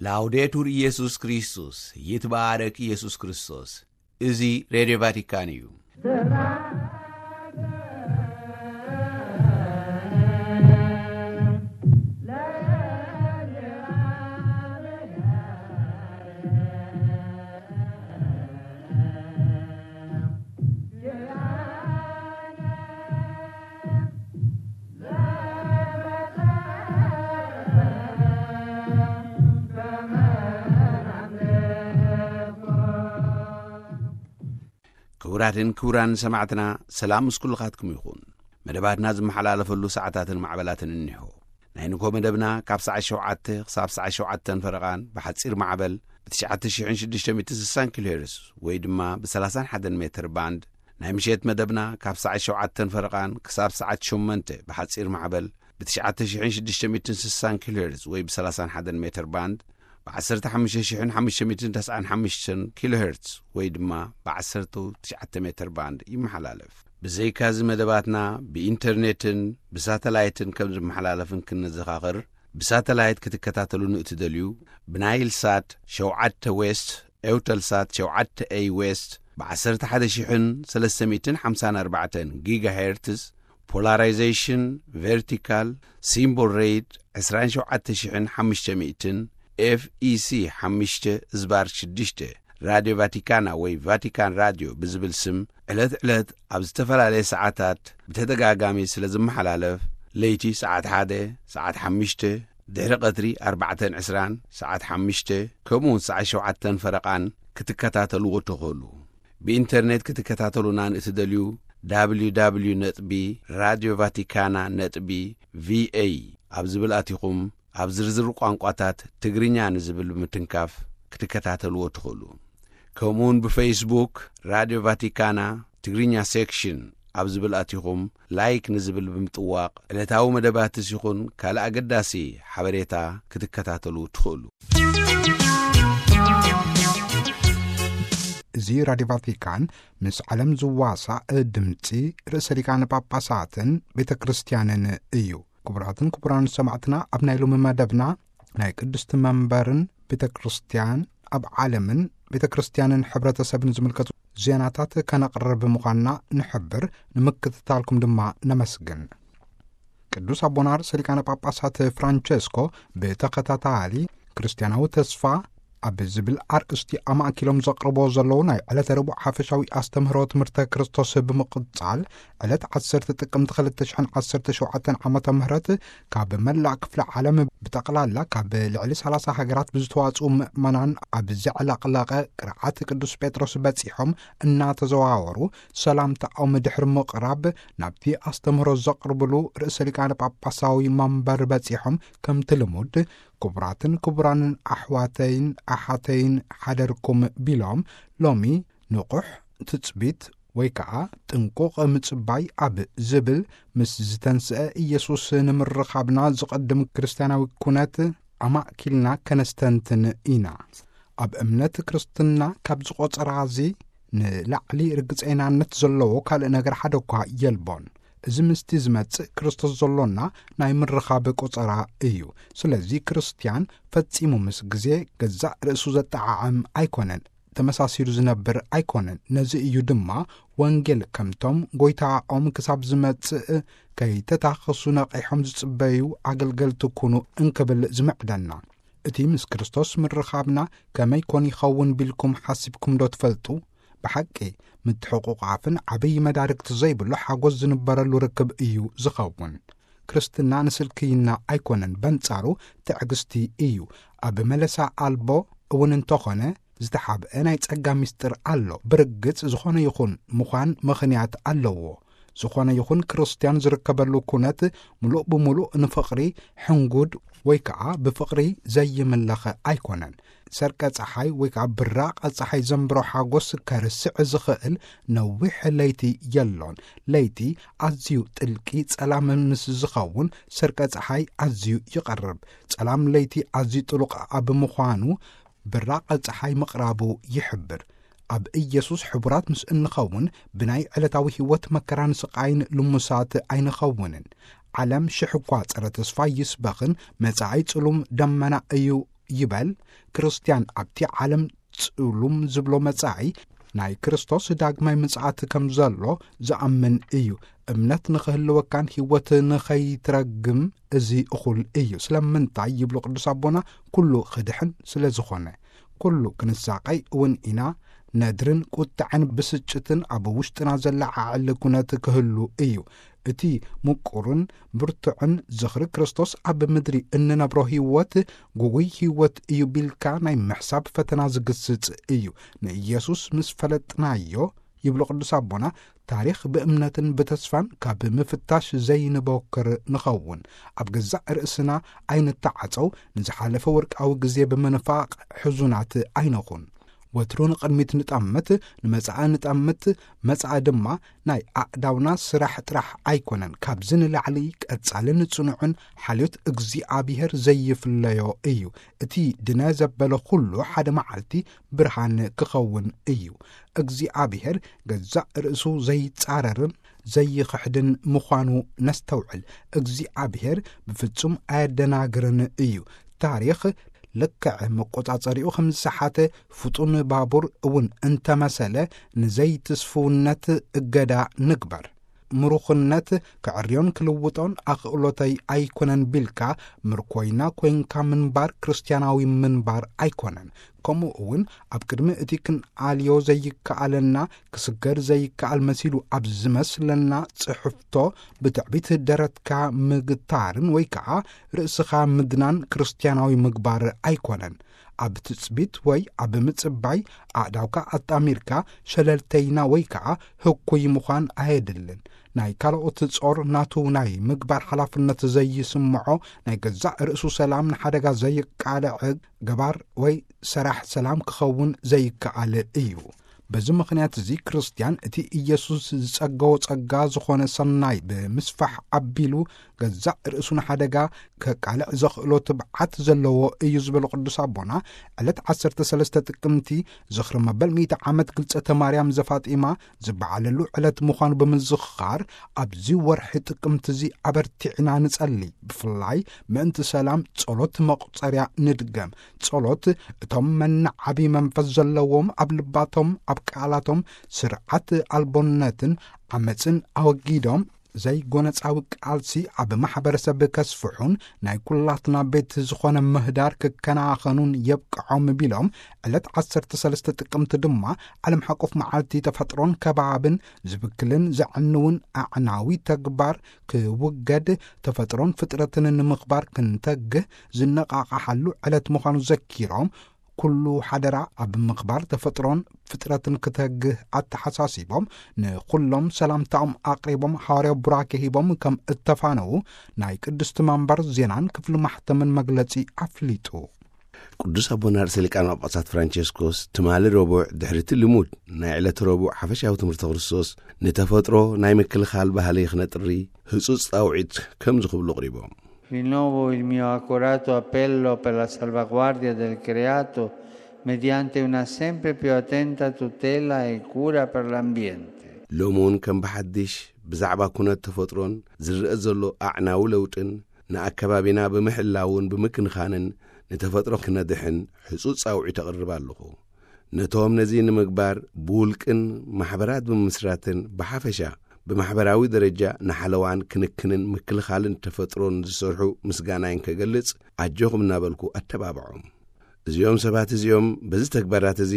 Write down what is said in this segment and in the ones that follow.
ላውዴቱር ኢየሱስ ክርስቶስ፣ ይትባረክ ኢየሱስ ክርስቶስ። እዚ ሬድዮ ቫቲካን እዩ። ክቡራትን ክቡራን ሰማዕትና፣ ሰላም ምስ ኩልኻትኩም ይኹን። መደባትና ዝመሓላለፈሉ ሰዓታትን ማዕበላትን እኒሆ። ናይ ንግሆ መደብና ካብ ሰዓት ሸውዓተ ክሳብ ሰዓት ሸውዓተን ፈረቓን ብሓጺር ማዕበል ብ ትሽዓተ ሽሕን ሽዱሽተ ሚእትን ስሳን ኪሎ ሄርዝ ወይ ድማ ብ30 ሜትር ባንድ፣ ናይ ምሸት መደብና ካብ ሰዓት ሸውዓተን ፈረቓን ክሳብ ሰዓት ሸሞንተ ብሓጺር ማዕበል ብ ትሽዓተ ሽሕን ሽዱሽተ ሚእትን ስሳን ኪሎ ሄርዝ ወይ ብ30 ሜትር ባንድ፣ ብ ዓሰርተ ሓሙሽተ ሽሕን ሓሙሽተ ሚእትን ተስዓን ሓሙሽተን ኪሎ ሄርዝ ወይ ድማ ብ ዓሰርተ ትሽዓተ ሜትር ባንድ ይመሓላለፍ። ብዘይካዚ መደባትና ብኢንተርኔትን ብሳተላይትን ከም ዝመሓላለፍን ክንዘኻኽር፣ ብሳተላይት ክትከታተሉ ንእትደልዩ፣ ብናይል ሳት ሸውዓተ ዌስት፣ ኤውተልሳት ሸውዓተ ኤይ ዌስት፣ ብ ዓሰርተ ሓደ ሽሕን ሰለስተ ሚእትን ሓምሳን ኣርባዕተን ጊጋ ሄርትዝ፣ ፖላራይዜሽን ቨርቲካል፣ ሲምቦል ሬት ዕስራን ሸውዓተ ሽሕን ሓሙሽተ ሚእትን፣ ኤፍ ኢ ሲ ሓሙሽተ ዝባር ሽዱሽተ፣ ራድዮ ቫቲካና ወይ ቫቲካን ራድዮ ብዝብል ስም ዕለት ዕለት ኣብ ዝተፈላለየ ሰዓታት ብተደጋጋሚ ስለ ዝመሓላለፍ፣ ለይቲ ሰዓት ሓደ፣ ሰዓት ሓሙሽተ፣ ድሕሪ ቀትሪ ኣርባዕተን ዕስራን፣ ሰዓት ሓሙሽተ፣ ከምኡ እውን ሰዓት ሸውዓተን ፈረቓን ክትከታተልዎ ትኽእሉ። ብኢንተርኔት ክትከታተሉና ንእትደልዩ፣ ደብሊው ደብሊው ደብሊው ነጥቢ ራድዮ ቫቲካና ነጥቢ ቪ ኤ ኣብ ዝብል ኣቲኹም፣ ኣብ ዝርዝር ቋንቋታት ትግርኛ ንዝብል ብምትንካፍ ክትከታተልዎ ትኽእሉ። ከምኡውን ብፌስቡክ ራድዮ ቫቲካና ትግርኛ ሴክሽን ኣብ ዝብል ኣቲኹም፣ ላይክ ንዝብል ብምጥዋቕ፣ ዕለታዊ መደባትስ ይኹን ካልእ ኣገዳሲ ሓበሬታ ክትከታተሉ ትኽእሉ። እዚ ራድዮ ቫቲካን ምስ ዓለም ዝዋሳእ ድምጺ ርእሰ ሊቃነ ጳጳሳትን ቤተ ክርስቲያንን እዩ። ክቡራትን ክቡራን ሰማዕትና፣ ኣብ ናይ ሎሚ መደብና ናይ ቅድስቲ መንበርን ቤተ ክርስቲያን ኣብ ዓለምን ቤተ ክርስቲያንን ሕብረተሰብን ዝምልከቱ ዜናታት ከነቕርብ ምዃንና ንሕብር። ንምክትታልኩም ድማ ነመስግን። ቅዱስ ኣቦና ርእሰ ሊቃነ ጳጳሳት ፍራንቸስኮ ብተኸታታሊ ክርስቲያናዊ ተስፋ ኣብ ዝብል ኣርእስቲ ኣማእኪሎም ዘቕርቦ ዘለዉ ናይ ዕለተ ረቡዕ ሓፈሻዊ ኣስተምህሮ ትምህርተ ክርስቶስ ብምቕጻል፣ ዕለት ዓሰርተ ጥቅምቲ ክልተ ሽሕን ዓሰርተ ሸውዓተን ዓመተ ምህረት ካብ መላእ ክፍለ ዓለም ብጠቕላላ ካብ ልዕሊ ሰላሳ ሃገራት ብዝተዋጽኡ ምእመናን ኣብ ዘዕለቕለቐ ቅርዓት ቅዱስ ጴጥሮስ በጺሖም እናተዘዋወሩ ሰላምታኦም ድሕሪ ምቕራብ፣ ናብቲ ኣስተምህሮ ዘቕርብሉ ርእሰ ሊቃነ ጳጳሳዊ መንበር በጺሖም፣ ከምቲ ልሙድ ክቡራትን ክቡራንን ኣሕዋተይን ኣሓተይን ሓደርኩም ቢሎም፣ ሎሚ ንቑሕ ትጽቢት ወይ ከኣ ጥንቁቕ ምጽባይ ኣብ ዝብል ምስ ዝተንስአ ኢየሱስ ንምርኻብና ዝቐድም ክርስትያናዊ ኩነት ኣማእኪልና ከነስተንትን ኢና። ኣብ እምነት ክርስትና ካብ ዝቖጸራዚ ንላዕሊ ርግጸይናነት ዘለዎ ካልእ ነገር ሓደ እኳ የልቦን። እዚ ምስቲ ዝመጽእ ክርስቶስ ዘሎና ናይ ምርኻብ ቆጸራ እዩ። ስለዚ ክርስትያን ፈጺሙ ምስ ግዜ ገዛእ ርእሱ ዘጠዓዕም ኣይኮነን፣ ተመሳሲሉ ዝነብር ኣይኮነን። ነዚ እዩ ድማ ወንጌል ከምቶም ጐይታኦም ክሳብ ዝመጽእ ከይተታኸሱ ነቒሖም ዝጽበዩ ኣገልገልቲ ኩኑ እንክብል ዝምዕደና። እቲ ምስ ክርስቶስ ምርኻብና ከመይ ኮን ይኸውን ቢልኩም ሓሲብኩም ዶ ትፈልጡ? ብሓቂ ምትሕቑቓፍን ዓብዪ መዳርግቲ ዘይብሉ ሓጎስ ዝንበረሉ ርክብ እዩ ዝኸውን። ክርስትና ንስልክይና ኣይኮነን፣ በንጻሩ ትዕግስቲ እዩ። ኣብ መለሳ ኣልቦ እውን እንተኾነ ዝተሓብአ ናይ ጸጋ ምስጢር ኣሎ። ብርግጽ ዝኾነ ይኹን ምዃን ምኽንያት ኣለዎ። ዝኾነ ይኹን ክርስትያን ዝርከበሉ ኩነት ምሉእ ብምሉእ ንፍቕሪ ሕንጉድ ወይ ከኣ ብፍቕሪ ዘይምለኸ ኣይኮነን። ሰርቀ ጸሓይ ወይ ከኣ ብራቐ ጸሓይ ዘንብሮ ሓጎስ ከርስዕ ዝኽእል ነዊሕ ለይቲ የሎን። ለይቲ ኣዝዩ ጥልቂ ጸላም ምስ ዝኸውን፣ ሰርቀ ጸሓይ ኣዝዩ ይቐርብ። ጸላም ለይቲ ኣዝዩ ጥሉቕ ኣብ ምዃኑ፣ ብራቐ ጸሓይ ምቕራቡ ይሕብር። ኣብ ኢየሱስ ሕቡራት ምስ እንኸውን፣ ብናይ ዕለታዊ ህይወት መከራን ስቓይን ልሙሳት ኣይንኸውንን። ዓለም ሽሕ እኳ ጸረ ተስፋ ይስበኽን፣ መጻኢ ጽሉም ደመና እዩ ይበል። ክርስትያን ኣብቲ ዓለም ጽሉም ዝብሎ መጻኢ ናይ ክርስቶስ ዳግማይ ምጽኣት ከም ዘሎ ዝኣምን እዩ። እምነት ንኽህልወካን ህይወት ንኸይትረግም እዚ እኹል እዩ። ስለምንታይ ይብሉ ቅዱስ ኣቦና? ኩሉ ክድሕን ስለ ዝኾነ። ኩሉ ክንሳቐይ እውን ኢና። ነድርን ቁጥዐን ብስጭትን ኣብ ውሽጥና ዘለዓዕል ኩነት ክህሉ እዩ። እቲ ምቁርን ብርቱዕን ዝኽሪ ክርስቶስ ኣብ ምድሪ እንነብሮ ህይወት፣ ጉጉይ ህይወት እዩ ቢልካ ናይ ምሕሳብ ፈተና ዝግስጽ እዩ። ንኢየሱስ ምስ ፈለጥናዮ፣ ይብሉ ቅዱስ ኣቦና፣ ታሪኽ ብእምነትን ብተስፋን ካብ ምፍታሽ ዘይንቦክር ንኸውን። ኣብ ገዛእ ርእስና ኣይንተዓጸው፣ ንዝሓለፈ ወርቃዊ ግዜ ብምንፋቕ ሕዙናት ኣይንኹን። ወትሩ ንቕድሚት ንጠምት፣ ንመጻኢ ንጠምት። መጻኢ ድማ ናይ ኣእዳውና ስራሕ ጥራሕ ኣይኮነን። ካብዚ ንላዕሊ ቀጻልን ጽኑዕን ሓልዮት እግዚኣብሔር ዘይፍለዮ እዩ። እቲ ድነ ዘበለ ኩሉ ሓደ መዓልቲ ብርሃን ክኸውን እዩ። እግዚኣብሔር ገዛእ ርእሱ ዘይጻረርን ዘይኽሕድን ምዃኑ ነስተውዕል። እግዚኣብሔር ብፍጹም ኣየደናግርን እዩ። ታሪኽ ልክዕ መቆጻጸሪኡ ከም ዝሰሓተ ፍጡን ባቡር እውን እንተመሰለ፣ ንዘይትስፍውነት እገዳ ንግበር። ምሩኽነት ክዕርዮን ክልውጦን ኣኽእሎተይ ኣይኮነን ቢልካ ምርኮይና ኮይንካ ምንባር ክርስትያናዊ ምንባር ኣይኮነን። ከምኡ እውን ኣብ ቅድሚ እቲ ክንኣልዮ ዘይከኣለና፣ ክስገር ዘይከኣል መሲሉ ኣብ ዝመስለና ጽሕፍቶ ብትዕቢት ደረትካ ምግታርን ወይ ከኣ ርእስኻ ምድናን ክርስትያናዊ ምግባር ኣይኮነን። ኣብ ትጽቢት ወይ ኣብ ምጽባይ ኣእዳውካ ኣጣሚርካ ሸለልተይና ወይ ከኣ ህኩይ ምዃን ኣየድልን። ናይ ካልኦት ጾር ናቱ ናይ ምግባር ሓላፍነት ዘይስምዖ፣ ናይ ገዛእ ርእሱ ሰላም ንሓደጋ ዘይቃልዕ ገባር ወይ ሰራሕ ሰላም ክኸውን ዘይከኣል እዩ። በዚ ምኽንያት እዚ ክርስትያን እቲ ኢየሱስ ዝጸገዎ ጸጋ ዝኾነ ሰናይ ብምስፋሕ ኣቢሉ ገዛእ ርእሱ ንሓደጋ ከቃልዕ ዘኽእሎ ትብዓት ዘለዎ እዩ ዝበሉ ቅዱስ ኣቦና፣ ዕለት ዓሰርተ ሰለስተ ጥቅምቲ ዝኽሪ መበል ሚእቲ ዓመት ግልጸተ ማርያም ዘፋጢማ ዝበዓለሉ ዕለት ምዃኑ ብምዝኽኻር፣ ኣብዚ ወርሒ ጥቅምቲ እዚ ኣበርቲዕና ንጸሊ። ብፍላይ ምእንቲ ሰላም ጸሎት መቑጸርያ ንድገም። ጸሎት እቶም መናዓቢ መንፈስ ዘለዎም ኣብ ልባቶም ኣብ ቃላቶም ስርዓት ኣልቦነትን ዓመጽን ኣወጊዶም ዘይጎነጻዊ ቃልሲ ኣብ ማሕበረሰብ ከስፍሑን ናይ ኩላትና ቤት ዝኾነ ምህዳር ክከናኸኑን የብቅዖም ቢሎም፣ ዕለት ዓሰርተ ሰለስተ ጥቅምቲ ድማ ዓለም ሓቆፍ መዓልቲ ተፈጥሮን ከባብን ዝብክልን ዘዕንውን ኣዕናዊ ተግባር ክውገድ፣ ተፈጥሮን ፍጥረትን ንምኽባር ክንተግህ ዝነቓቓሓሉ ዕለት ምዃኑ ዘኪሮም፣ ኩሉ ሓደራ ኣብ ምኽባር ተፈጥሮን ፍጥረትን ክተግህ ኣተሓሳሲቦም፣ ንኹሎም ሰላምታኦም ኣቕሪቦም፣ ሓዋርያዊ ቡራኬ ሂቦም ከም እተፋነዉ ናይ ቅድስቲ መንበር ዜናን ክፍሊ ማሕተምን መግለጺ ኣፍሊጡ። ቅዱስ ኣቦና ርእሰ ሊቃነ ጳጳሳት ፍራንቸስኮስ ትማሊ ረቡዕ ድሕሪ እቲ ልሙድ ናይ ዕለተ ረቡዕ ሓፈሻዊ ትምህርቲ ክርስቶስ፣ ንተፈጥሮ ናይ ምክልኻል ባህሊ ክነጥሪ ህጹጽ ጻውዒት ከምዚ ክብሉ ኣቕሪቦም። Rinnovo il mio accorato appello per la salvaguardia del creato mediante una sempre più attenta tutela e cura per l'ambiente. ሎሚ እውን ከም ብሓድሽ ብዛዕባ ኩነት ተፈጥሮን ዝረአ ዘሎ ኣዕናዊ ለውጥን ንኣከባቢና ብምሕላውን ብምክንኻንን ንተፈጥሮ ክነድሕን ሕጹጽ ጻውዒት ኣቕርብ ኣለኹ። ነቶም ነዚ ንምግባር ብውልቅን ማሕበራት ብምምስራትን ብሓፈሻ ብማሕበራዊ ደረጃ ንሓለዋን ክንክንን ምክልኻልን ተፈጥሮን ዝሰርሑ ምስጋናይን ከገልጽ ኣጆኹም እናበልኩ ኣተባብዖም። እዚኦም ሰባት እዚኦም በዚ ተግባራት እዚ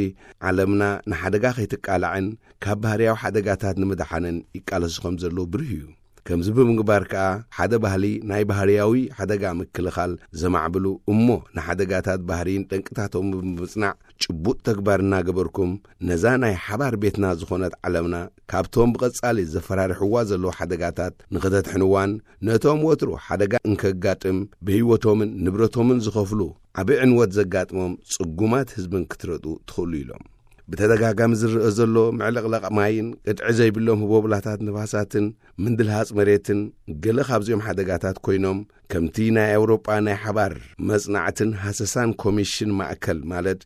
ዓለምና ንሓደጋ ከይትቃላዕን ካብ ባህርያዊ ሓደጋታት ንምድሓንን ይቃለሱ ከም ዘለዉ ብሩህ እዩ። ከምዚ ብምግባር ከኣ ሓደ ባህሊ ናይ ባህርያዊ ሓደጋ ምክልኻል ዘማዕብሉ እሞ ንሓደጋታት ባህርይን ጠንቅታቶም ብምጽናዕ ጭቡጥ ተግባር እናገበርኩም ነዛ ናይ ሓባር ቤትና ዝኾነት ዓለምና ካብቶም ብቐጻሊ ዘፈራርሕዋ ዘለዉ ሓደጋታት ንኽተድሕንዋን ነቶም ወትሩ ሓደጋ እንከጋጥም ብህይወቶምን ንብረቶምን ዝኸፍሉ ዓቢ ዕንወት ዘጋጥሞም ጽጉማት ህዝብን ክትረድኡ ትኽእሉ ኢሎም። ብተደጋጋሚ ዝረአ ዘሎ ምዕልቕላቕ ማይን ቅጥዒ ዘይብሎም ህቦብላታት ንፋሳትን ምንድልሃጽ መሬትን ገለ ካብዚኦም ሓደጋታት ኮይኖም፣ ከምቲ ናይ ኣውሮጳ ናይ ሓባር መጽናዕትን ሃሰሳን ኮሚሽን ማእከል ማለት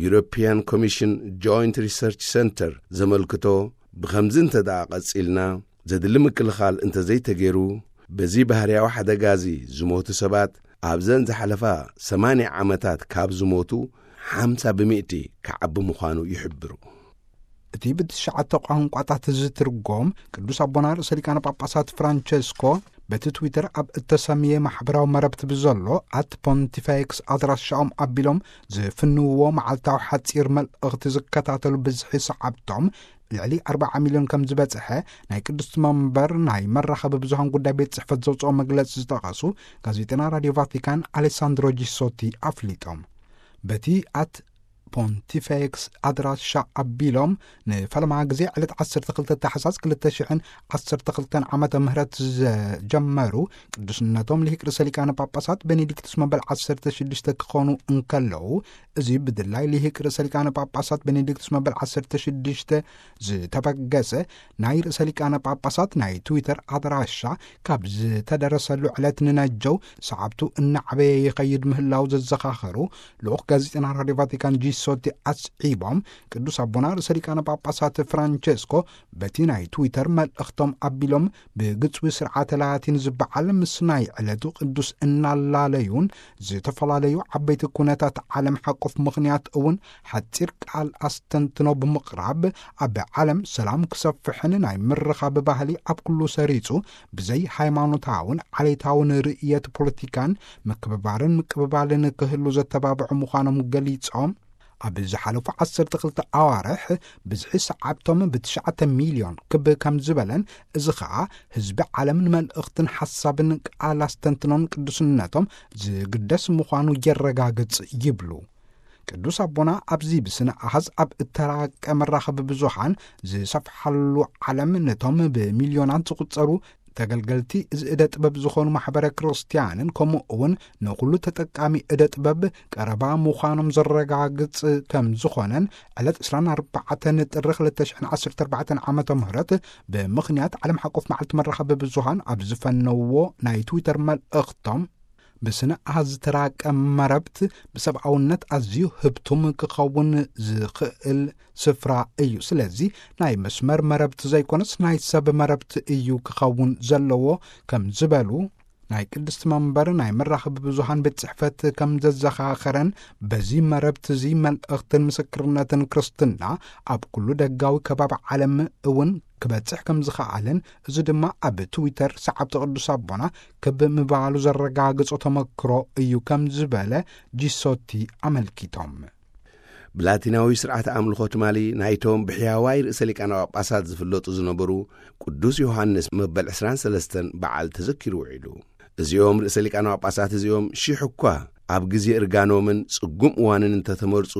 European Commission Joint Research Centre ዘመልክቶ፣ ብኸምዚ እንተ ደኣ ቀጺልና፣ ዘድሊ ምክልኻል እንተ ዘይተገይሩ፣ በዚ ባህርያዊ ሓደጋ እዚ ዝሞቱ ሰባት ኣብዘን ዝሓለፋ ሰማንያ ዓመታት ካብ ዝሞቱ ሓምሳ ብምእቲ ክዓቢ ምዃኑ ይሕብሩ። እቲ ብትሽዓተ ቋንቋታት ዝትርጎም ቅዱስ ኣቦና ርእሰ ሊቃነ ጳጳሳት ፍራንቸስኮ በቲ ትዊተር ኣብ እተሰምየ ማሕበራዊ መረብቲ ብዘሎ ኣት ፖንቲፌክስ ኣድራሻኦም ኣቢሎም ዝፍንውዎ መዓልታዊ ሓጺር መልእኽቲ ዝከታተሉ ብዝሒ ሰዓብቶም ልዕሊ ኣርባዓ ሚልዮን ከም ዝበጽሐ ናይ ቅዱስ መንበር ናይ መራኸቢ ብዙሃን ጉዳይ ቤት ጽሕፈት ዘውፅኦ መግለጺ ዝጠቐሱ ጋዜጠና ራዲዮ ቫቲካን ኣሌሳንድሮ ጂሶቲ ኣፍሊጦም። በቲ ኣት ፖንቲፌክስ ኣድራሻ ኣቢሎም ንፈለማ ግዜ ዕለት ዓሰርተ ክልተ ታሕሳስ ክልተ ሽሕን ዓሰርተ ክልተን ዓመተ ምህረት ዘጀመሩ ቅዱስነቶም ልሂቅ ርእሰ ሊቃነ ጳጳሳት ቤኔዲክቱስ መበል ዓሰርተ ሽዱሽተ ክኾኑ እንከለዉ፣ እዚ ብድላይ ልሂቅ ርእሰ ሊቃነ ጳጳሳት ቤኔዲክቱስ መበል ዓሰርተ ሽዱሽተ ዝተበገሰ ናይ ርእሰ ሊቃነ ጳጳሳት ናይ ትዊተር ኣድራሻ ካብ ዝተደረሰሉ ዕለት ንነጀው ሰዓብቱ እናዓበየ ይኸይድ ምህላው ዘዘኻኸሩ ልኡኽ ጋዜጠና ራዲዮ ቫቲካን ጂሶቲ ኣስዒቦም፣ ቅዱስ ኣቦና ርእሰ ሊቃነ ጳጳሳት ፍራንቸስኮ በቲ ናይ ትዊተር መልእኽቶም ኣቢሎም ብግጽዊ ስርዓተ ላቲን ዝበዓል ምስ ናይ ዕለቱ ቅዱስ እናላለዩን ዝተፈላለዩ ዓበይቲ ኩነታት ዓለም ሓቆፍ ምኽንያት እውን ሓጺር ቃል ኣስተንትኖ ብምቕራብ፣ ኣብ ዓለም ሰላም ክሰፍሕን ናይ ምርኻብ ባህሊ ኣብ ኩሉ ሰሪጹ ብዘይ ሃይማኖታውን ዓሌታውን ርእየት ፖለቲካን ምክብባርን ምቅብባልን ክህሉ ዘተባብዑ ምዃኖም ገሊጾም፣ ኣብ ዝሓለፉ ዓሰርተ ክልተ ኣዋርሕ ብዝሒ ሰዓብቶም ብትሽዓተ ሚልዮን ክብ ከም ዝበለን፣ እዚ ኸኣ ህዝቢ ዓለም ንመልእኽትን ሓሳብን ቃል ኣስተንትኖን ቅዱስነቶም ዝግደስ ምዃኑ የረጋግጽ ይብሉ። ቅዱስ ኣቦና ኣብዚ ብስነ ኣሃዝ ኣብ እተራቀ መራኸቢ ብዙሃን ዝሰፍሓሉ ዓለም ነቶም ብሚልዮናት ዝቑጸሩ ተገልገልቲ እዚ እደ ጥበብ ዝኾኑ ማሕበረ ክርስቲያንን ከምኡ እውን ንኹሉ ተጠቃሚ እደ ጥበብ ቀረባ ምዃኖም ዘረጋግጽ ከም ዝኾነን ዕለት ዕስራን ኣርባዕተን ጥሪ ክልተ ሽሕን ዓሰርተ ኣርባዕተን ዓመተ ምህረት ብምኽንያት ዓለም ሓቆፍ መዓልቲ መራኸቢ ብዙሃን ኣብ ዝፈነዎ ናይ ትዊተር መልእኽቶም ብስነ ኣሃዝ ዝተራቀ መረብት ብሰብኣውነት ኣዝዩ ህብቱም ክኸውን ዝኽእል ስፍራ እዩ። ስለዚ ናይ መስመር መረብት ዘይኮነስ ናይ ሰብ መረብት እዩ ክኸውን ዘለዎ ከም ዝበሉ ናይ ቅድስቲ መንበር ናይ መራኸቢ ብዙሃን ቤት ጽሕፈት ከም ዘዘኻኸረን፣ በዚ መረብት እዚ መልእኽትን ምስክርነትን ክርስትና ኣብ ኩሉ ደጋዊ ከባቢ ዓለም እውን ክበጽሕ ከም ዝኸኣለን፣ እዚ ድማ ኣብ ትዊተር ሰዓብቲ ቅዱስ ኣቦና ክብ ምባሉ ዘረጋግጾ ተመክሮ እዩ ከም ዝበለ ጂሶቲ ኣመልኪቶም። ብላቲናዊ ስርዓት ኣምልኾ ትማሊ ናይቶም ብሕያዋይ ርእሰ ሊቃነ ጳጳሳት ዝፍለጡ ዝነበሩ ቅዱስ ዮሃንስ መበል ዕስራን ሰለስተን በዓል ተዘኪሩ ውዒሉ። እዚኦም ርእሰ ሊቃነ ጳጳሳት እዚኦም ሽሕ እኳ ኣብ ግዜ እርጋኖምን ጽጉም እዋንን እንተተመርጹ፣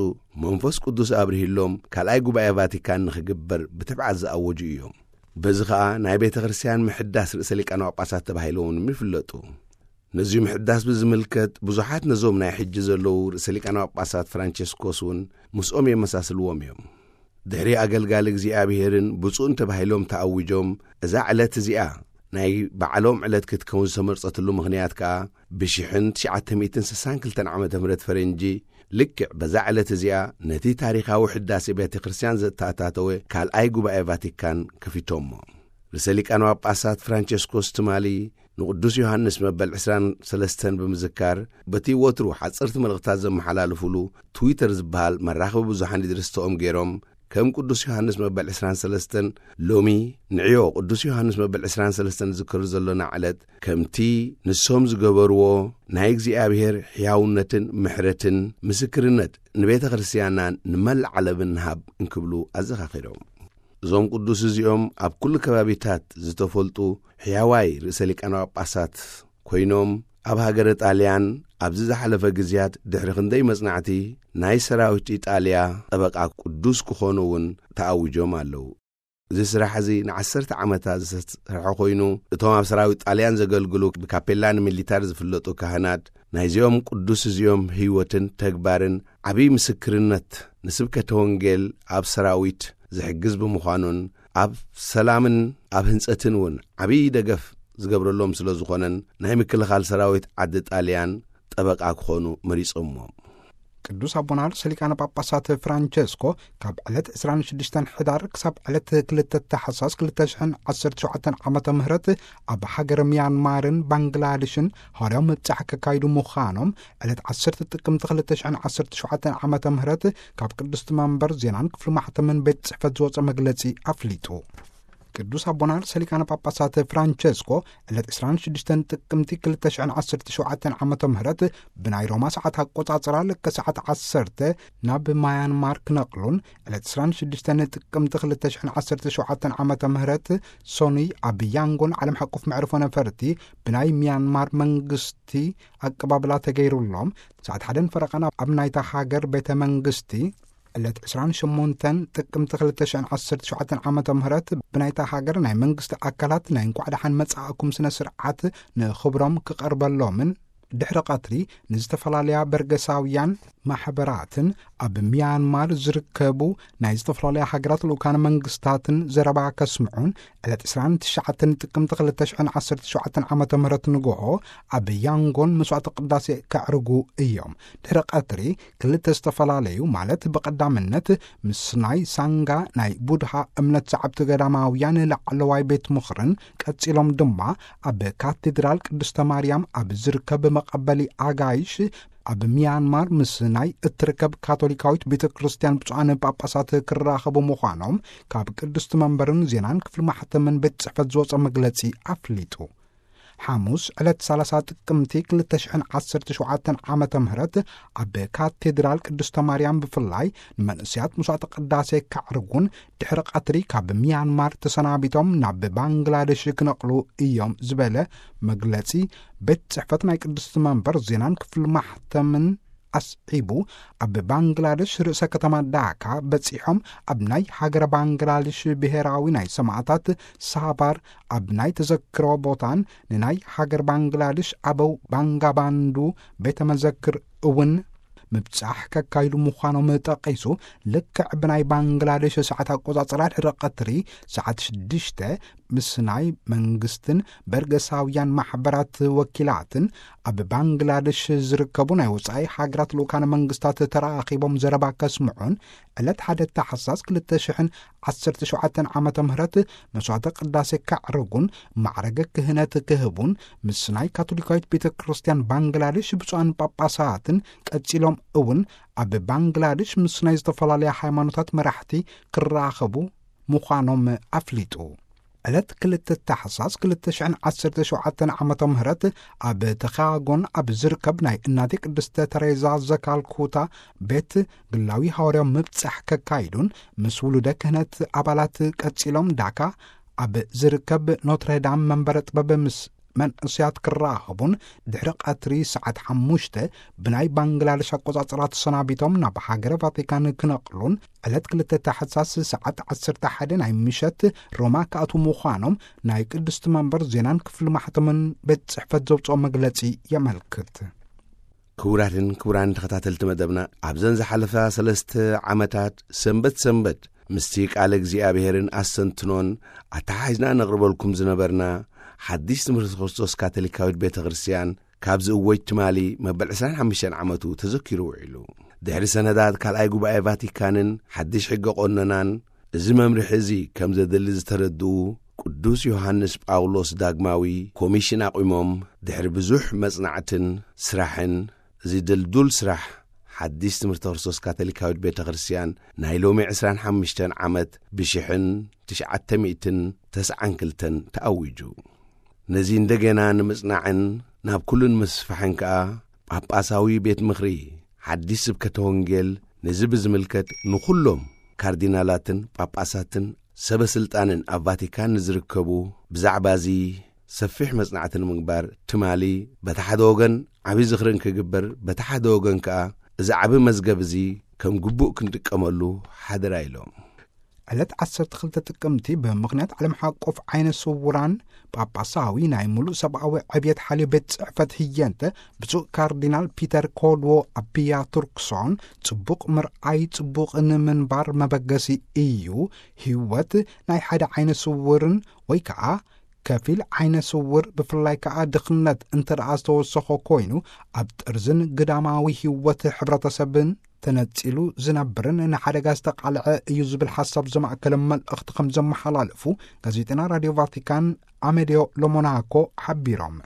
መንፈስ ቅዱስ ኣብርሂሎም ካልኣይ ጉባኤ ቫቲካን ንኽግበር ብትብዓት ዝኣወጁ እዮም። በዚ ኸኣ ናይ ቤተ ክርስቲያን ምሕዳስ ርእሰ ሊቃነ ጳጳሳት ተባሂሎም እውን ይፍለጡ። ነዚ ምሕዳስ ብዝምልከት ብዙሓት ነዞም ናይ ሕጂ ዘለዉ ርእሰ ሊቃነ ጳጳሳት ፍራንቸስኮስ እውን ምስኦም የመሳስልዎም እዮም። ድሕሪ ኣገልጋሊ እግዚኣብሔርን ብፁዕን ተባሂሎም ተኣዊጆም፣ እዛ ዕለት እዚኣ ናይ ባዕሎም ዕለት ክትከውን ዝተመርጸትሉ ምኽንያት ከኣ ብሽሕን ትሽዓተ ሚእትን ስሳን ክልተን ዓመተ ምህረት ፈረንጂ ልክዕ በዛ ዕለት እዚኣ ነቲ ታሪኻዊ ሕዳሴ ቤተ ክርስቲያን ዘተኣታተወ ካልኣይ ጉባኤ ቫቲካን ከፊቶሞ። ርእሰ ሊቃነ ጳጳሳት ፍራንቸስኮስ ትማሊ ንቅዱስ ዮሃንስ መበል ዕስራን ሰለስተን ብምዝካር፣ በቲ ወትሩ ሓጸርቲ መልእኽታት ዘመሓላልፉሉ ትዊተር ዝበሃል መራኸቢ ብዙሓን ይድርስተኦም ገይሮም፣ ከም ቅዱስ ዮሃንስ መበል ዕስራን ሰለስተን፣ ሎሚ ንዕዮ ቅዱስ ዮሃንስ መበል ዕስራን ሰለስተን ንዝክር ዘሎና ዕለት፣ ከምቲ ንሶም ዝገበርዎ ናይ እግዚኣብሔር ሕያውነትን ምሕረትን ምስክርነት ንቤተ ክርስቲያንናን ንመላእ ዓለምን ንሃብ እንክብሉ ኣዘኻኺሮም። እዞም ቅዱስ እዚኦም ኣብ ኩሉ ከባቢታት ዝተፈልጡ ሕያዋይ ርእሰ ሊቃነ ጳጳሳት ኮይኖም፣ ኣብ ሃገረ ጣልያን ኣብዚ ዝሓለፈ ግዜያት ድሕሪ ክንደይ መጽናዕቲ ናይ ሰራዊት ኢጣልያ ጠበቃ ቅዱስ ክኾኑ እውን ተኣዊጆም ኣለዉ። እዚ ስራሕ እዚ ንዓሰርተ ዓመታት ዝተሰርሐ ኮይኑ፣ እቶም ኣብ ሰራዊት ጣልያን ዘገልግሉ ብካፔላን ሚሊታር ዝፍለጡ ካህናት ናይዚኦም ቅዱስ እዚኦም ህይወትን ተግባርን ዓብዪ ምስክርነት ንስብከተ ወንጌል ኣብ ሰራዊት ዝሕግዝ ብምዃኑን ኣብ ሰላምን ኣብ ህንጸትን እውን ዓብዪ ደገፍ ዝገብረሎም ስለ ዝኾነን ናይ ምክልኻል ሰራዊት ዓዲ ጣልያን ጠበቃ ክኾኑ መሪጾምዎም። ቅዱስ ኣቦና ርእሰ ሊቃነ ጳጳሳት ፍራንቸስኮ ካብ ዕለት ዕስራን ሽዱሽተን ሕዳር ክሳብ ዕለት ክልተ ታሕሳስ ክልተ ሽሕን ዓሰርተ ሸውዓተን ዓመተ ምህረት ኣብ ሃገር ሚያንማርን ባንግላድሽን ሃዋርያዊ ምብጻሕ ከካይዱ ምዃኖም ዕለት ዓሰርተ ጥቅምቲ ክልተ ሽሕን ዓሰርተ ሸውዓተን ዓመተ ምህረት ካብ ቅድስቲ መንበር ዜናን ክፍሊ ማሕተምን ቤት ጽሕፈት ዝወጸ መግለጺ ኣፍሊጡ። ቅዱስ ኣቦና ርእሰ ሊቃነ ጳጳሳት ፍራንቸስኮ ዕለት ዕስራን ሽዱሽተን ጥቅምቲ ክልተ ሽሕን ዓሰርተ ሸውዓተን ዓመተ ምህረት ብናይ ሮማ ሰዓት ኣቆጻጽራ ልክዕ ሰዓት ዓሰርተ ናብ ማያንማር ክነቕሉን ዕለት ዕስራን ሽዱሽተን ጥቅምቲ ክልተ ሽሕን ዓሰርተ ሸውዓተን ዓመተ ምህረት ሶኑይ ኣብ ያንጎን ዓለም ሓቆፍ መዕርፎ ነፈርቲ ብናይ ሚያንማር መንግስቲ ኣቀባብላ ተገይሩሎም ሰዓት ሓደን ፈረቓን ኣብ ናይታ ሃገር ቤተ መንግስቲ ዕለት ዕስራን ሸሞንተን ጥቅምቲ ክልተ ሽሕን ዓሰርተ ሸውዓተን ዓመተ ምህረት ብናይታ ሃገር ናይ መንግስቲ ኣካላት ናይ እንኳዕ ደሓን መጻእኩም ስነ ስርዓት ንኽብሮም ክቐርበሎምን ድሕሪ ቀትሪ ንዝተፈላለያ በርገሳውያን ማሕበራትን ኣብ ሚያንማር ዝርከቡ ናይ ዝተፈላለያ ሃገራት ልኡካን መንግስታትን ዘረባ ከስምዑን ዕለት ዕስራን ትሽዓተን ጥቅምቲ ክልተ ሽሕን ዓሰርተ ሸውዓተን ዓመተ ምህረት ንግሆ ኣብ ያንጎን መስዋዕተ ቅዳሴ ከዕርጉ እዮም። ድሕሪ ቀትሪ ክልተ ዝተፈላለዩ ማለት ብቐዳምነት ምስ ናይ ሳንጋ ናይ ቡድሃ እምነት ሰዓብቲ ገዳማውያን ላዕለዋይ ቤት ምኽርን ቀጺሎም ድማ ኣብ ካቴድራል ቅድስተ ማርያም ኣብ ዝርከብ መቐበሊ ኣጋይሽ ኣብ ሚያንማር ምስ ናይ እትርከብ ካቶሊካዊት ቤተ ክርስቲያን ብፁዓን ጳጳሳት ክራኸቡ ምዃኖም ካብ ቅድስቲ መንበርን ዜናን ክፍሊ ማሕተምን ቤት ጽሕፈት ዝወጸ መግለጺ ኣፍሊጡ። ሓሙስ ዕለት ሰላሳ ጥቅምቲ ክልተ ሽሕን ዓሰርተ ሸውዓተን ዓመተ ምህረት ኣብ ካቴድራል ቅድስተ ማርያም ብፍላይ ንመንእሰያት መስዋዕተ ቅዳሴ ከዕርጉን ድሕሪ ቀትሪ ካብ ሚያንማር ተሰናቢቶም ናብ ባንግላደሽ ክነቕሉ እዮም ዝበለ መግለጺ ቤት ጽሕፈት ናይ ቅድስቲ መንበር ዜናን ክፍሊ ማሕተምን ኣስዒቡ፣ ኣብ ባንግላደሽ ርእሰ ከተማ ዳካ በጺሖም ኣብ ናይ ሃገረ ባንግላደሽ ብሔራዊ ናይ ሰማዕታት ሳባር ኣብ ናይ ተዘክሮ ቦታን ንናይ ሃገር ባንግላደሽ ኣበው ባንጋባንዱ ቤተ መዘክር እውን ምብጻሕ ከካይዱ ምዃኖም ጠቒሱ፣ ልክዕ ብናይ ባንግላደሽ ሰዓት ኣቆጻጽራ ድሕሪ ቀትሪ ሰዓት ሽዱሽተ ምስ ናይ መንግስትን በርገሳውያን ማሕበራት ወኪላትን ኣብ ባንግላደሽ ዝርከቡ ናይ ወጻኢ ሃገራት ልኡካነ መንግስታት ተራኺቦም ዘረባ ከስምዑን ዕለት ሓደ ታሕሳስ ክልተ ሽሕን ዓሰርተ ሸውዓተን ዓመተ ምህረት መስዋዕተ ቅዳሴ ከዕርጉን ማዕረገ ክህነት ክህቡን ምስ ናይ ካቶሊካዊት ቤተ ክርስቲያን ባንግላደሽ ብፁዓን ጳጳሳትን ቀጺሎም እውን ኣብ ባንግላደሽ ምስ ናይ ዝተፈላለያ ሃይማኖታት መራሕቲ ክራኸቡ ምዃኖም ኣፍሊጡ። ዕለት ክልተ ታሕሳስ ክልተ ሽሕን ዓሰርተ ሸውዓተን ዓመተ ምህረት ኣብ ተኻጎን ኣብ ዝርከብ ናይ እናቴ ቅድስተ ተሬዛ ዘካልኩታ ቤት ግላዊ ሃዋርያዊ ምብጻሕ ከካይዱን ምስ ውሉደ ክህነት ኣባላት ቀጺሎም ዳካ ኣብ ዝርከብ ኖትረዳም መንበረ ጥበብ ምስ መንእሰያት ክራኸቡን ድሕሪ ቀትሪ ሰዓት ሓሙሽተ ብናይ ባንግላደሽ ኣቆጻጽራ ተሰናቢቶም ናብ ሃገረ ቫቲካን ክነቕሉን ዕለት ክልተ ታሕሳስ ሰዓት ዓሰርተ ሓደ ናይ ምሸት ሮማ ክኣትዉ ምዃኖም ናይ ቅድስቲ መንበር ዜናን ክፍሊ ማሕተምን ቤት ጽሕፈት ዘውጽኦ መግለጺ የመልክት። ክቡራትን ክቡራን ተኸታተልቲ መደብና፣ ኣብዘን ዝሓለፋ ሰለስተ ዓመታት ሰንበት ሰንበት ምስቲ ቃለ እግዚኣብሔርን ኣስተንትኖን ኣተሓሒዝና ነቕርበልኩም ዝነበርና ሓድሽ ትምህርቲ ክርስቶስ ካቶሊካዊት ቤተ ክርስቲያን ካብ ዝእወጅ ትማሊ መበል ዕስራን ሓሙሽተን ዓመቱ ተዘኪሩ ውዒሉ። ድሕሪ ሰነዳት ካልኣይ ጉባኤ ቫቲካንን ሓድሽ ሕገ ቆነናን፣ እዚ መምርሒ እዚ ከም ዘድሊ ዝተረድኡ ቅዱስ ዮሃንስ ጳውሎስ ዳግማዊ ኮሚሽን ኣቑሞም፣ ድሕሪ ብዙሕ መጽናዕትን ስራሕን፣ እዚ ድልዱል ስራሕ ሓድሽ ትምህርቲ ክርስቶስ ካቶሊካዊት ቤተ ክርስቲያን ናይ ሎሚ ዕስራን ሓሙሽተን ዓመት ብሽሕን ትሽዓተ ሚእትን ተስዓን ክልተን ተኣዊጁ። ነዚ እንደገና ንምጽናዕን ናብ ኩሉ ንምስፋሕን ከኣ ጳጳሳዊ ቤት ምኽሪ ሓድሽ ስብከተ ወንጌል ነዚ ብዝምልከት ንኹሎም ካርዲናላትን ጳጳሳትን ሰበ ስልጣንን ኣብ ቫቲካን ንዝርከቡ ብዛዕባ እዚ ሰፊሕ መጽናዕቲ ንምግባር ትማሊ በቲ ሓደ ወገን ዓቢ ዝኽርን ክግበር፣ በቲ ሓደ ወገን ከኣ እዚ ዓቢ መዝገብ እዚ ከም ግቡእ ክንጥቀመሉ ሓደራ ኢሎም። ዕለት ዓሰርተ ክልተ ጥቅምቲ ብምኽንያት ዓለም ሓቆፍ ዓይነ ስውራን ጳጳሳዊ ናይ ምሉእ ሰብኣዊ ዕብየት ሓልዮ ቤት ጽሕፈት ህየንተ ብፁዕ ካርዲናል ፒተር ኮድዎ ኣቢያ ቱርክሶን ጽቡቕ ምርኣይ ጽቡቕ ንምንባር መበገሲ እዩ። ህይወት ናይ ሓደ ዓይነ ስውርን ወይ ከኣ ከፊል ዓይነ ስውር፣ ብፍላይ ከኣ ድኽነት እንተ ደኣ ዝተወሰኾ ኮይኑ፣ ኣብ ጥርዝን ግዳማዊ ህይወት ሕብረተሰብን ተነጺሉ ዝነብርን ንሓደጋ ዝተቓልዐ እዩ ዝብል ሓሳብ ዘማእከለ መልእኽቲ ከም ዘመሓላለፉ ጋዜጠና ራድዮ ቫቲካን ኣሜድዮ ሎሞናኮ ሓቢሮም።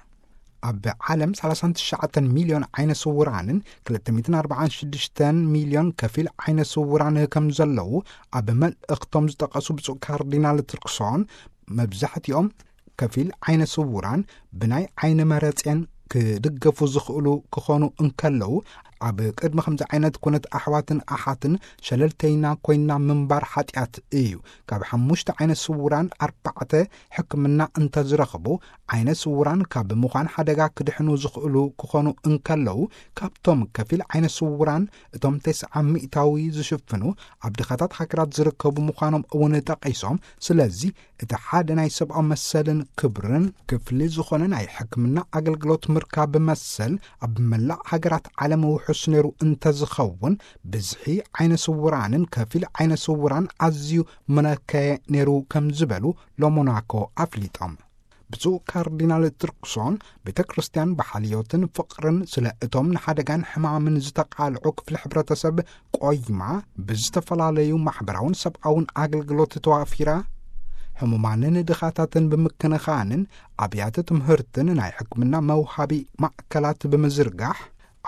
ኣብ ዓለም ሰላሳን ትሽዓተን ሚልዮን ዓይነ ስውራንን ክልተ ሚእትን ኣርባዓን ሽዱሽተን ሚልዮን ከፊል ዓይነ ስውራን ከም ዘለዉ ኣብ መልእኽቶም ዝጠቐሱ ብፁዕ ካርዲናል ትርክሶን፣ መብዛሕትኦም ከፊል ዓይነ ስውራን ብናይ ዓይኒ መረጼን ክድገፉ ዝኽእሉ ክኾኑ እንከለዉ፣ ኣብ ቅድሚ ከምዚ ዓይነት ኩነት ኣሕዋትን ኣሓትን ሸለልተይና ኮይና ምንባር ሓጢኣት እዩ። ካብ ሓሙሽተ ዓይነ ስውራን ኣርባዕተ ሕክምና እንተዝረኽቡ፣ ዓይነ ስውራን ካብ ምዃን ሓደጋ ክድሕኑ ዝኽእሉ ክኾኑ እንከለዉ፣ ካብቶም ከፊል ዓይነ ስውራን እቶም ተስዓ ሚእታዊ ዝሽፍኑ ኣብ ድኻታት ሃገራት ዝርከቡ ምዃኖም እውን ጠቒሶም፣ ስለዚ እቲ ሓደ ናይ ሰብኣዊ መሰልን ክብርን ክፍሊ ዝኾነ ናይ ሕክምና ኣገልግሎት ምርካብ መሰል ኣብ መላእ ሃገራት ዓለም ውሑስ ነይሩ እንተዝኸውን፣ ብዝሒ ዓይነ ስውራንን ከፊል ዓይነ ስውራን ኣዝዩ ምነከየ ነይሩ ከም ዝበሉ ሎሞናኮ ኣፍሊጦም። ብፁዕ ካርዲናል ትርክሶን፣ ቤተ ክርስቲያን ብሓልዮትን ፍቕርን ስለ እቶም ንሓደጋን ሕማምን ዝተቓልዑ ክፍሊ ሕብረተሰብ ቆይማ፣ ብዝተፈላለዩ ማሕበራውን ሰብኣውን ኣገልግሎት ተዋፊራ፣ ሕሙማንን ድኻታትን ብምክንኻንን ኣብያተ ትምህርትን ናይ ሕክምና መውሃቢ ማእከላት ብምዝርጋሕ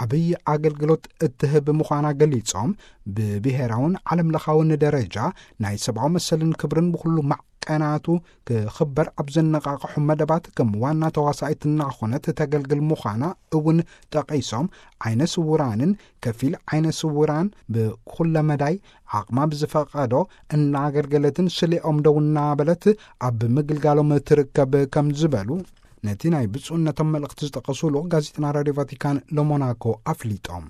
ዓብዪ ኣገልግሎት እትህብ ምዃና ገሊጾም፣ ብብሔራውን ዓለም ለኻውን ደረጃ ናይ ሰብኣዊ መሰልን ክብርን ብኹሉ ማዕቀናቱ ክኽበር ኣብ ዘነቓቕሑ መደባት ከም ዋና ተዋሳኢት እናኾነት ተገልግል ምዃና እውን ጠቒሶም፣ ዓይነ ስውራንን ከፊል ዓይነ ስውራን ብኩለ መዳይ ዓቕማ ብዝፈቐዶ እናኣገልገለትን ስሌኦም ደው እናበለት ኣብ ምግልጋሎም ትርከብ ከም ዝበሉ ነቲ ናይ ብፁዕነቶም መልእኽቲ ዝጠቐሱ ልኡኽ ጋዜጠና ራድዮ ቫቲካን ሎሞናኮ ኣፍሊጦም።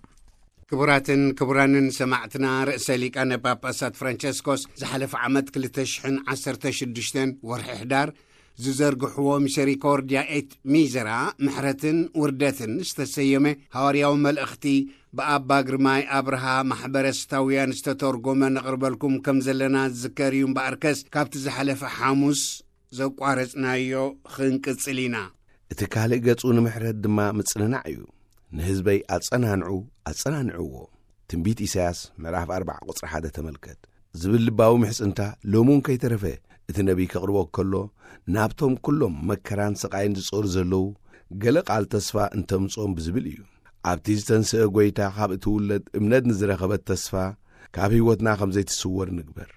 ክቡራትን ክቡራንን ሰማዕትና፣ ርእሰ ሊቃነ ጳጳሳት ፍራንቸስኮስ ዝሓለፈ ዓመት ክልተ ሽሕን ዓሰርተ ሽዱሽተን ወርሒ ሕዳር ዝዘርግሕዎ ሚሰሪኮርድያ ኤት ሚዘራ፣ ምሕረትን ውርደትን ዝተሰየመ ሃዋርያዊ መልእኽቲ ብኣባ ግርማይ ኣብርሃ ማሕበረ ስታውያን ዝተተርጎመ ነቕርበልኩም ከም ዘለና ዝዝከር እዩ። እምበኣርከስ ካብቲ ዝሓለፈ ሓሙስ ዘቋረጽናዮ ክንቅጽል ኢና። እቲ ካልእ ገጹ ንምሕረት ድማ ምጽንናዕ እዩ። ንህዝበይ ኣጸናንዑ፣ ኣጸናንዕዎ። ትንቢት ኢሳያስ ምዕራፍ ኣርባዓ ቁጽሪ ሓደ ተመልከት። ዝብል ልባዊ ምሕጽንታ ሎሚ እውን ከይተረፈ እቲ ነቢይ ከቕርቦ ከሎ፣ ናብቶም ኩሎም መከራን ስቓይን ዝጾሩ ዘለዉ ገለ ቃል ተስፋ እንተምጽኦም ብዝብል እዩ። ኣብቲ ዝተንስአ ጐይታ ካብ እትውለድ እምነት ንዝረኸበት ተስፋ ካብ ህይወትና ከም ዘይትስወር ንግበር።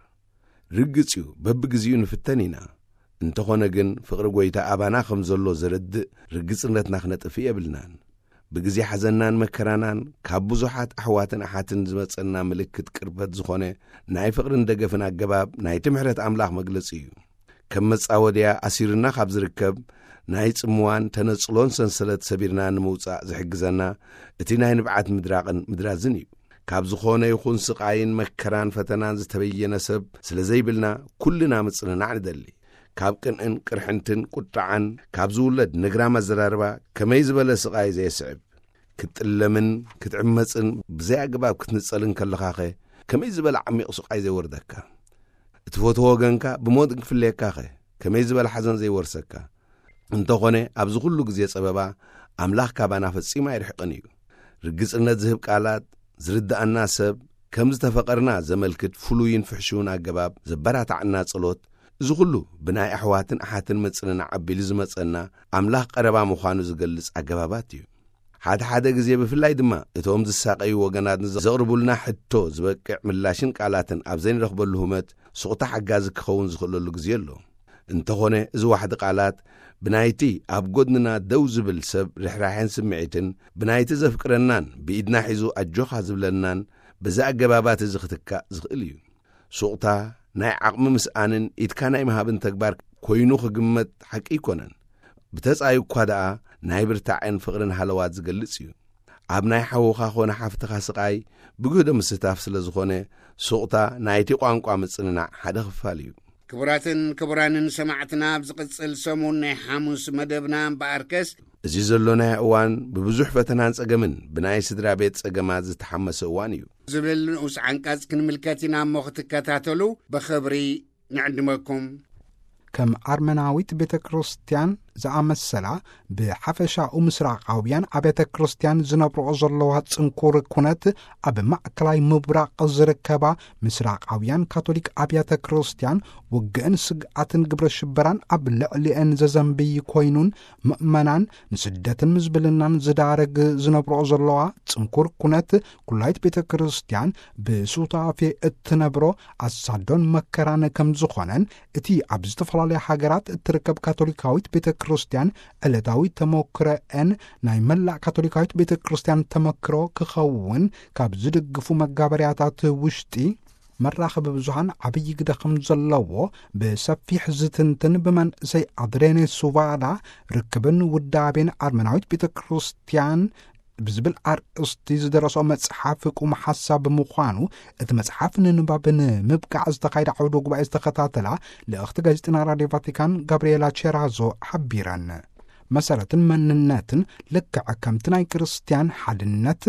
ርግጽ እዩ፣ በብግዜኡ ንፍተን ኢና። እንተኾነ ግን፣ ፍቕሪ ጐይታ ኣባና ከም ዘሎ ዘረድእ ርግጽነትና ክነጥፍእ የብልናን። ብግዜ ሓዘንናን መከራናን፣ ካብ ብዙሓት ኣሕዋትን ኣሓትን ዝመጸና ምልክት ቅርበት ዝኾነ ናይ ፍቕርን ደገፍን ኣገባብ፣ ናይቲ ምሕረት ኣምላኽ መግለጺ እዩ። ከም መጻወድያ ኣሲሩና ካብ ዝርከብ ናይ ጽምዋን ተነጽሎን ሰንሰለት ሰቢርና ንምውጻእ ዝሕግዘና፣ እቲ ናይ ንብዓት ምድራቕን ምድራዝን እዩ። ካብ ዝኾነ ይኹን ስቓይን መከራን ፈተናን ዝተበየነ ሰብ ስለ ዘይብልና፣ ኩልና ምጽንናዕ ንደሊ። ካብ ቅንእን ቅርሕንትን ቁጥዓን ካብ ዝውለድ ነግራም ኣዘራርባ ከመይ ዝበለ ስቓይ ዘየስዕብ! ክትጥለምን ክትዕመጽን ብዘይ ኣገባብ ክትንጸልን ከለኻኸ ከመይ ዝበለ ዓሚቕ ስቓይ ዘይወርደካ! እትፈትዎ ወገንካ ብሞት እንክፍለየካኸ ከመይ ዝበለ ሓዘን ዘይወርሰካ! እንተኾነ ኣብዚ ኩሉ ግዜ ጸበባ ኣምላኽ ካባና ፈጺሙ ኣይርሕቕን እዩ። ርግጽነት ዝህብ ቃላት፣ ዝርድኣና ሰብ፣ ከም ዝተፈቐርና ዘመልክት ፍሉይን ፍሕሽውን ኣገባብ ዘበራታዕና ጸሎት፣ እዚ ኩሉ ብናይ ኣሕዋትን ኣሓትን ምጽንናዕ ኣቢሉ ዝመጸና ኣምላኽ ቀረባ ምዃኑ ዝገልጽ ኣገባባት እዩ። ሓደ ሓደ ግዜ ብፍላይ ድማ እቶም ዝሳቐዩ ወገናት ንዘቕርቡልና ሕቶ ዝበቅዕ ምላሽን ቃላትን ኣብ ዘይንረኽበሉ ህመት ሱቕታ ሓጋዚ ክኸውን ዝኽእለሉ ግዜ ኣሎ። እንተኾነ እዚ ዋሕዲ ቃላት ብናይቲ ኣብ ጎድንና ደው ዝብል ሰብ ርሕራሐን ስምዒትን ብናይቲ ዘፍቅረናን ብኢድና ሒዙ ኣጆኻ ዝብለናን በዚ ኣገባባት እዚ ክትካእ ዝኽእል እዩ። ሱቕታ ናይ ዓቕሚ ምስኣንን ኢድካ ናይ ምሃብን ተግባር ኮይኑ ክግመት ሓቂ ኣይኮነን። ብተጻዩ እኳ ደኣ ናይ ብርታዐን ፍቕርን ሃለዋት ዝገልጽ እዩ። ኣብ ናይ ሓውኻ ኾነ ሓፍትኻ ስቓይ ብግህዶ ምስታፍ ስለ ዝኾነ፣ ሱቕታ ናይቲ ቋንቋ ምጽንናዕ ሓደ ክፋል እዩ። ክቡራትን ክቡራንን ሰማዕትና፣ ኣብ ዝቕጽል ሰሙን ናይ ሓሙስ መደብና እምበኣርከስ፣ እዚ ዘሎናዮ እዋን ብብዙሕ ፈተናን ጸገምን ብናይ ስድራ ቤት ጸገማት ዝተሓመሰ እዋን እዩ። ዝብል ንኡስ ዓንቀጽ ክንምልከት ኢና እሞ ክትከታተሉ ብኽብሪ ንዕድመኩም። ከም ኣርመናዊት ቤተ ክርስቲያን ዝኣመሰላ ብሓፈሻኡ ምስራቓውያን ኣብያተ ክርስቲያን ዝነብርኦ ዘለዋ ጽንኩር ኩነት፣ ኣብ ማእከላይ ምብራቕ ዝርከባ ምስራቓውያን ካቶሊክ ኣብያተ ክርስቲያን ውግእን ስግኣትን ግብረ ሽበራን ኣብ ልዕሊአን ዘዘንብይ ኮይኑን፣ ምእመናን ንስደትን ምዝብልናን ዝዳረግ ዝነብርኦ ዘለዋ ጽንኩር ኩነት፣ ኩላይት ቤተ ክርስቲያን ብሱታፌ እትነብሮ ኣሳዶን መከራን ከም ዝኾነን፣ እቲ ኣብ ዝተፈላለያ ሃገራት እትርከብ ካቶሊካዊት ቤተ ክርስቲያን ዕለታዊ ተመክሮኤን ናይ መላእ ካቶሊካዊት ቤተ ክርስቲያን ተመክሮ ክኸውን ካብ ዝድግፉ መጋበርያታት ውሽጢ፣ መራኸቢ ብዙሃን ዓብዪ ግደ ከም ዘለዎ ብሰፊሕ ዝትንትን፣ ብመንእሰይ ኣድሬኔ ሱቫዳ ርክብን ውዳቤን ኣርመናዊት ቤተ ክርስቲያን ብዝብል ኣርእስቲ ዝደረሶ መጽሓፍ ቁም ሓሳብ ምዃኑ፣ እቲ መጽሓፍ ንንባብ ንምብቃዕ ዝተኻየደ ዓውደ ጉባኤ ዝተኸታተላ ልእኽቲ ጋዜጠና ራድዮ ቫቲካን ጋብርኤላ ቼራዞ ሓቢረን። መሰረትን መንነትን ልክዕ ከምቲ ናይ ክርስቲያን ሓድነት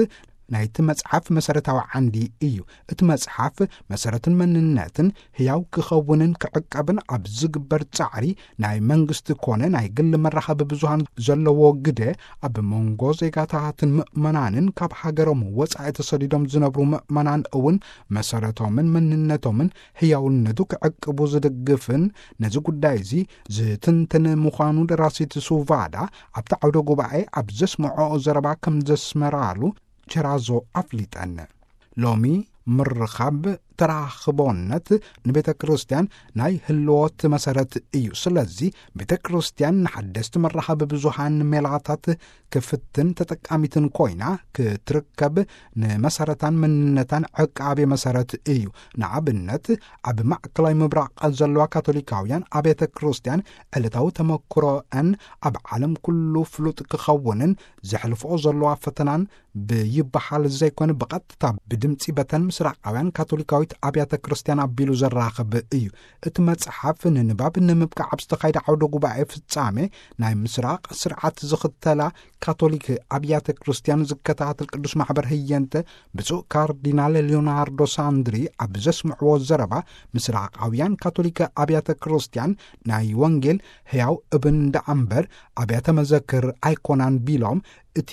ናይቲ መጽሓፍ መሰረታዊ ዓንዲ እዩ። እቲ መጽሓፍ መሰረትን መንነትን ህያው ክኸውንን ክዕቀብን ኣብ ዝግበር ጻዕሪ፣ ናይ መንግስቲ ኮነ ናይ ግል መራኸቢ ብዙሃን ዘለዎ ግደ፣ ኣብ መንጎ ዜጋታትን ምእመናንን ካብ ሃገሮም ወጻኢ ተሰዲዶም ዝነብሩ ምእመናን እውን መሰረቶምን መንነቶምን ህያውነቱ ክዕቅቡ ዝድግፍን፣ ነዚ ጉዳይ እዚ ዝትንትን ምዃኑ ደራሲት ሱቫዳ ኣብቲ ዓውደ ጉባኤ ኣብ ዘስምዖ ዘረባ ከም ዘስመራሉ ቸራዞ ኣፍሊጠን። ሎሚ ምርኻብ፣ ተራኽቦነት ንቤተ ክርስቲያን ናይ ህልወት መሰረት እዩ። ስለዚ ቤተ ክርስቲያን ንሓደስቲ መራኸቢ ብዙሃን ሜላታት ክፍትን ተጠቃሚትን ኮይና ክትርከብ፣ ንመሰረታን መንነታን ዕቃቤ መሰረት እዩ። ንኣብነት፣ ኣብ ማእከላይ ምብራቕ ዘለዋ ካቶሊካውያን ኣብያተ ክርስቲያን ዕለታዊ ተመክሮአን ኣብ ዓለም ኩሉ ፍሉጥ ክኸውንን፣ ዘሕልፍኦ ዘለዋ ፈተናን ብይበሃል ዘይኮነ፣ ብቐጥታ ብድምጺ በተን ምስራቃውያን ካቶሊካዊት ኣብያተ ክርስቲያን ኣቢሉ ዘራኽብ እዩ። እቲ መጽሓፍ ንንባብ ንምብቃዕ ኣብ ዝተኻየደ ዓውደ ጉባኤ ፍጻሜ፣ ናይ ምስራቕ ስርዓት ዝኽተላ ካቶሊክ ኣብያተ ክርስቲያን ዝከታተል ቅዱስ ማሕበር ህየንተ፣ ብፁዕ ካርዲናል ሊዮናርዶ ሳንድሪ ኣብ ዘስምዕዎ ዘረባ፣ ምስራቃውያን ካቶሊክ ኣብያተ ክርስቲያን ናይ ወንጌል ሕያው እብን ደኣ እምበር ኣብያተ መዘክር ኣይኮናን ቢሎም፣ እቲ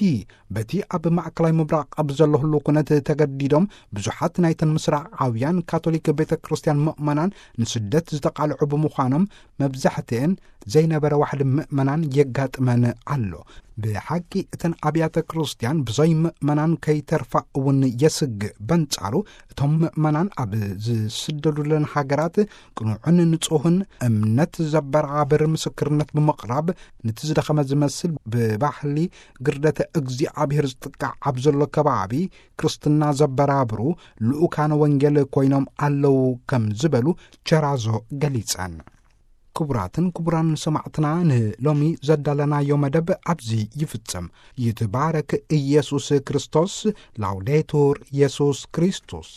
በቲ ኣብ ማእከላይ ምብራቕ ኣብ ዘሎ ህሉ ኩነት ተገዲዶም ብዙሓት ናይተን ምስራቃውያን ካቶሊክ ቤተ ክርስቲያን ምእመናን ንስደት ዝተቓልዑ ብምዃኖም፣ መብዛሕትኤን ዘይነበረ ዋሕዲ ምእመናን የጋጥመን ኣሎ። ብሓቂ እተን ኣብያተ ክርስቲያን ብዘይ ምእመናን ከይተርፋ እውን የስግእ። በንጻሩ፣ እቶም ምእመናን ኣብ ዝስደዱለን ሃገራት ቅኑዕን ንጹህን እምነት ዘበራብር ምስክርነት ብምቕራብ፣ ነቲ ዝደኸመ ዝመስል ብባህሊ ግርደተ እግዚኣብሔር ዝጥቃዕ ኣብ ዘሎ ከባቢ ክርስትና ዘበራብሩ ልኡካነ ወንጌል ኮይኖም ኣለዉ ከም ዝበሉ ቸራዞ ገሊጸን። ክቡራትን ክቡራን ሰማዕትና፣ ንሎሚ ዘዳለናዮ መደብ ኣብዚ ይፍጸም። ይትባረክ ኢየሱስ ክርስቶስ። ላውዴቱር ኢየሱስ ክርስቶስ።